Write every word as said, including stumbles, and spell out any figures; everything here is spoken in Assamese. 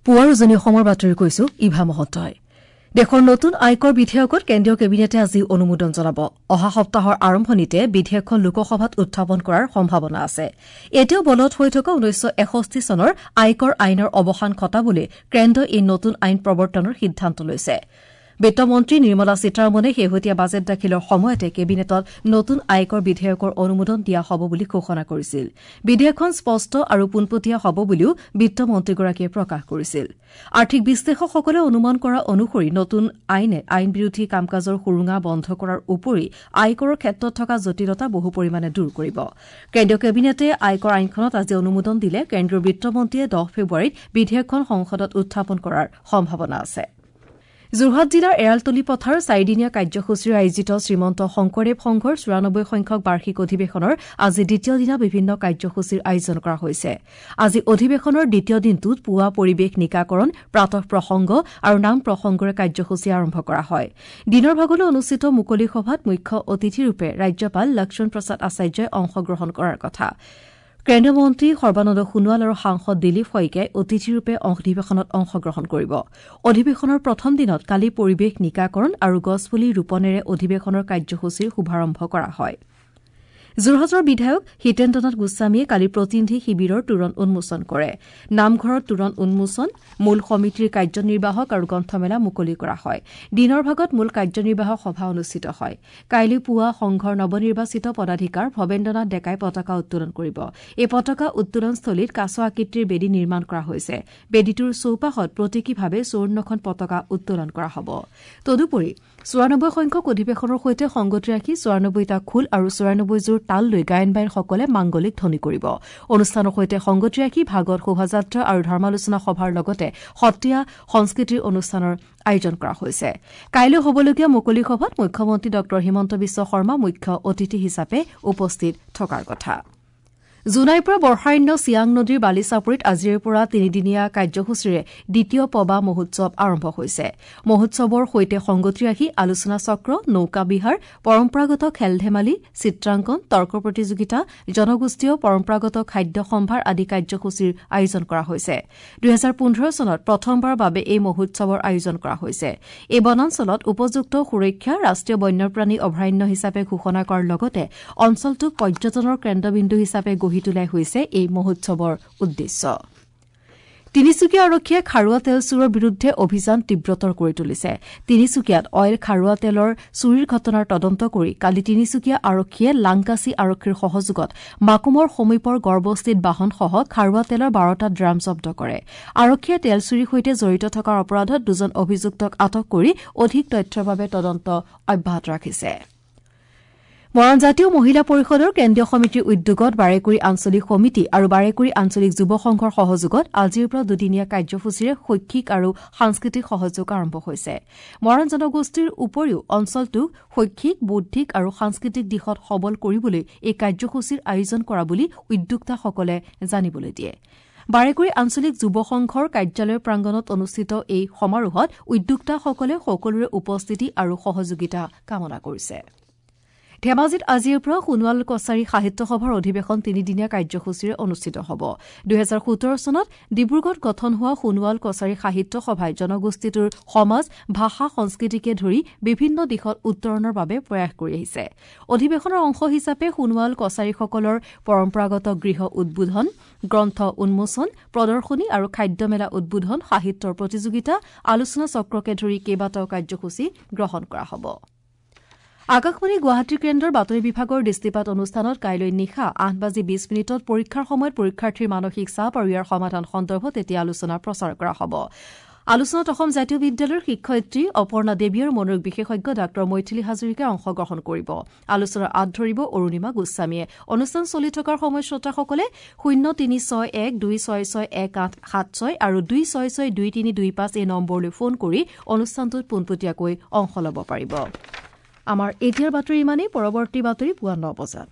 পুৱাৰ উজনি অসমৰ বাতৰি কৈছো ইভা মহন্তই। দেশৰ নতুন আয়কৰ বিধেয়কত কেন্দ্ৰীয় কেবিনেটে আজি অনুমোদন জনাব। অহা সপ্তাহৰ আৰম্ভণিতে বিধেয়কখন লোকসভাত উত্থাপন কৰাৰ সম্ভাৱনা আছে। এতিয়াও বলৱৎ হৈ থকা ঊনৈছশ এষষ্ঠি চনৰ আয়কৰ আইনৰ অৱসান ঘটাবলৈ কেন্দ্ৰই এই নতুন আইন প্ৰৱৰ্তনৰ সিদ্ধান্ত লৈছে। বিত্তমন্ত্ৰী নিৰ্মলা সীতাৰমণে শেহতীয়া বাজেট দাখিলৰ সময়তে কেবিনেটত নতুন আয়কৰ বিধেয়কৰ অনুমোদন দিয়া হ'ব বুলি ঘোষণা কৰিছিল। বিধেয়কখন স্পষ্ট আৰু পোনপটীয়া হ'ব বুলিও বিত্তমন্ত্ৰীগৰাকীয়ে প্ৰকাশ কৰিছিল। আৰ্থিক বিশ্লেষকসকলে অনুমান কৰা অনুসৰি নতুন আইনে আইন বিৰোধী কাম-কাজৰ সুৰুঙা বন্ধ কৰাৰ উপৰি আয়কৰৰ ক্ষেত্ৰত থকা জটিলতা বহু পৰিমাণে দূৰ কৰিব। কেন্দ্ৰীয় কেবিনেটে আয়কৰ আইনখনত আজি অনুমোদন দিলে কেন্দ্ৰীয় বিত্তমন্ত্ৰীয়ে দহ ফেব্ৰুৱাৰীত বিধেয়কখন সংসদত উত্থাপন কৰাৰ সম্ভাৱনা আছে। যোৰহাট জিলাৰ এৰালতলী পথাৰ চাৰিদিনীয়া কাৰ্যসূচীৰে আয়োজিত শ্ৰীমন্ত শংকৰদেৱ সংঘৰ চৌৰানব্বৈ সংখ্যক বাৰ্ষিক অধিৱেশনৰ আজি দ্বিতীয় দিনা বিভিন্ন কাৰ্যসূচীৰ আয়োজন কৰা হৈছে। আজি অধিৱেশনৰ দ্বিতীয় দিনটোত পুৱা পৰিৱেশ নিকাকৰণ, প্ৰাতঃ প্ৰসংগ আৰু নাম প্ৰসংগৰে কাৰ্যসূচী আৰম্ভ কৰা হয়। দিনৰ ভাগলৈ অনুষ্ঠিত মুকলি সভাত মুখ্য অতিথিৰূপে ৰাজ্যপাল লক্ষ্মণ প্ৰসাদ আচাৰ্যই অংশগ্ৰহণ কৰাৰ কথা। কেন্দ্ৰীয় মন্ত্ৰী সৰ্বানন্দ সোণোৱাল আৰু সাংসদ দিলীপ শইকীয়াই অতিথিৰূপে অধিৱেশনত অংশগ্ৰহণ কৰিব। অধিৱেশনৰ প্ৰথম দিনত কালি পৰিৱেশ নিকাকৰণ আৰু গছপুলি ৰোপণেৰে অধিৱেশনৰ কাৰ্যসূচীৰ শুভাৰম্ভ কৰা হয়। যোৰহাটৰ বিধায়ক হিতেন্দ্ৰনাথ গোস্বামীয়ে কালি প্ৰতিনিধি শিবিৰৰ তোৰণ উন্মোচন কৰে। নামঘৰত তোৰণ উন্মোচন, মূল সমিতিৰ কাৰ্যনিৰ্বাহক আৰু গ্ৰন্থমেলা মুকলি কৰা হয়। দিনৰ ভাগত মূল কাৰ্যনিৰ্বাহক সভা অনুষ্ঠিত হয়। কাইলৈ পুৱা সংঘৰ নৱনিৰ্বাচিত পদাধিকাৰ ভৱেন্দ্ৰনাথ ডেকাই পতাকা উত্তোলন কৰিব। এই পতাকা উত্তোলনস্থলীত কাছ আকৃতিৰ বেদী নিৰ্মাণ কৰা হৈছে। বেদীটোৰ চৌপাশত প্ৰতীকীভাৱে চৌৱন্নখন পতাকা উত্তোলন কৰা হ'ব। তদুপৰি চৌৰানব্বৈ সংখ্যক অধিৱেশনৰ সৈতে সংগতি ৰাখি চৌৰানব্বৈটা খোল আৰু চৌৰানব্বৈযোৰ তাল লৈ গায়ন বায়নসকলে মাংগলিক ধ্বনি কৰিব। অনুষ্ঠানৰ সৈতে সংগতি ৰাখি ভাগৱত শোভাযাত্ৰা আৰু ধৰ্মালোচনা সভাৰ লগতে সত্ৰীয়া সংস্কৃতিৰ অনুষ্ঠানৰ আয়োজন কৰা হৈছে। কাইলৈ হ'বলগীয়া মুকলি সভাত মুখ্যমন্ত্ৰী ডঃ হিমন্ত বিশ্ব শৰ্মা মুখ্য অতিথি হিচাপে উপস্থিত থকাৰ কথা। জোনাইৰ পৰা বৰ্ষাৰণ্য চিয়াং নদীৰ বালিচাপৰিত আজিৰে পৰা তিনিদিনীয়া কাৰ্যসূচীৰে দ্বিতীয় পবা মহোৎসৱ আৰম্ভ হৈছে। মহোৎসৱৰ সৈতে সংগতি ৰাখি আলোচনা চক্ৰ, নৌকা বিহাৰ, পৰম্পৰাগত খেল ধেমালি, চিত্ৰাংকন, তৰ্ক প্ৰতিযোগিতা, জনগোষ্ঠীয় পৰম্পৰাগত খাদ্য সম্ভাৰ আদি কাৰ্যসূচীৰ আয়োজন কৰা হৈছে। দুহেজাৰ পোন্ধৰ চনত প্ৰথমবাৰৰ বাবে এই মহোৎসৱৰ আয়োজন কৰা হৈছে। এই বনাঞ্চলত উপযুক্ত সুৰক্ষা, ৰাষ্ট্ৰীয় বন্যপ্ৰাণী অভয়াৰণ্য হিচাপে ঘোষণা কৰাৰ লগতে অঞ্চলটোক পৰ্যটনৰ কেন্দ্ৰবিন্দু হিচাপে গঢ়ি তোলাই হৈছে এই মহোৎসৱৰ উদ্দেশ্য। তিনিচুকীয়া আৰক্ষীয়ে খাৰুৱা তেল চোৰৰ বিৰুদ্ধে অভিযান তীব্ৰতৰ কৰি তুলিছে। তিনিচুকীয়াত অইল খাৰুৱা তেলৰ চুৰিৰ ঘটনাৰ তদন্ত কৰি কালি তিনিচুকীয়া আৰক্ষীয়ে লাংকাচি আৰক্ষীৰ সহযোগত মাকুমৰ সমীপৰ গড়বস্তিত বাহনসহ খাৰুৱা তেলৰ বাৰটা ড্ৰাম জব্দ কৰে। আৰক্ষীয়ে তেল চুৰিৰ সৈতে জড়িত থকাৰ অপৰাধত দুজন অভিযুক্তক আটক কৰি অধিক তথ্যৰ বাবে তদন্ত অব্যাহত ৰাখিছে। মৰাণ জাতীয় মহিলা পৰিষদৰ কেন্দ্ৰীয় সমিতিৰ উদ্যোগত বাৰেকুৰি আঞ্চলিক সমিতি আৰু বাৰেকুৰি আঞ্চলিক যুৱ সংঘৰ সহযোগত আজিৰ পৰা দুদিনীয়া কাৰ্যসূচীৰে শৈক্ষিক আৰু সাংস্কৃতিক সহযোগ আৰম্ভ হৈছে। মৰাণ জনগোষ্ঠীৰ উপৰিও অঞ্চলটোক শৈক্ষিক, বৌদ্ধিক আৰু সাংস্কৃতিক দিশত সবল কৰিবলৈ এই কাৰ্যসূচীৰ আয়োজন কৰা বুলি উদ্যোক্তাসকলে জানিবলৈ দিয়ে। বাৰেকুৰি আঞ্চলিক যুৱ সংঘৰ কাৰ্যালয় প্ৰাংগণত অনুষ্ঠিত এই সমাৰোহত উদ্যোক্তাসকলে সকলোৰে উপস্থিতি আৰু সহযোগিতা কামনা কৰিছে। ধেমাজিত আজিৰ পৰা সোণোৱাল কছাৰী সাহিত্য সভাৰ অধিৱেশন তিনিদিনীয়া কাৰ্যসূচীৰে অনুষ্ঠিত হ'ব। দুহেজাৰ সোতৰ চনত ডিব্ৰুগড়ত গঠন হোৱা সোণোৱাল কছাৰী সাহিত্য সভাই জনগোষ্ঠীটোৰ সমাজ, ভাষা, সংস্কৃতিকে ধৰি বিভিন্ন দিশত উত্তৰণৰ বাবে প্ৰয়াস কৰি আহিছে। অধিৱেশনৰ অংশ হিচাপে সোণোৱাল কছাৰীসকলৰ পৰম্পৰাগত গৃহ উদ্বোধন, গ্ৰন্থ উন্মোচন, প্ৰদৰ্শনী আৰু খাদ্য মেলা উদ্বোধন, সাহিত্যৰ প্ৰতিযোগিতা, আলোচনা চক্ৰকে ধৰি কেইবাটাও কাৰ্যসূচী গ্ৰহণ কৰা হ'ব। আকাশবাণী গুৱাহাটী কেন্দ্ৰৰ বাতৰি বিভাগৰ দৃষ্টিপাত অনুষ্ঠানত কাইলৈ নিশা আঠ বাজি বিশ মিনিটত পৰীক্ষাৰ সময়ত পৰীক্ষাৰ্থীৰ মানসিক চাপ আৰু ইয়াৰ সমাধান সন্দৰ্ভত এতিয়া আলোচনা প্ৰচাৰ কৰা হ'ব। আলোচনাত অসম জাতীয় বিদ্যালয়ৰ শিক্ষয়িত্ৰী অপৰ্ণা দেৱী আৰু মনোৰোগ বিশেষজ্ঞ ডাঃ মৈথিলী হাজৰিকাই অংশগ্ৰহণ কৰিব। আলোচনাৰ আঁত ধৰিব অৰুণিমা গোস্বামীয়ে। অনুষ্ঠান চলি থকাৰ সময়ত শ্ৰোতাসকলে শূন্য তিনি ছয় এক দুই ছয় ছয় এক আঠ সাত ছয় আৰু দুই ছয় ছয় দুই তিনি দুই পাঁচ এই নম্বৰলৈ ফোন কৰি অনুষ্ঠানটোত পোনপটীয়াকৈ অংশ ল'ব পাৰিব। আমাৰ এতিয়াৰ বাতৰি ইমানেই। পৰৱৰ্তী বাতৰি পুৱা ন বজাত।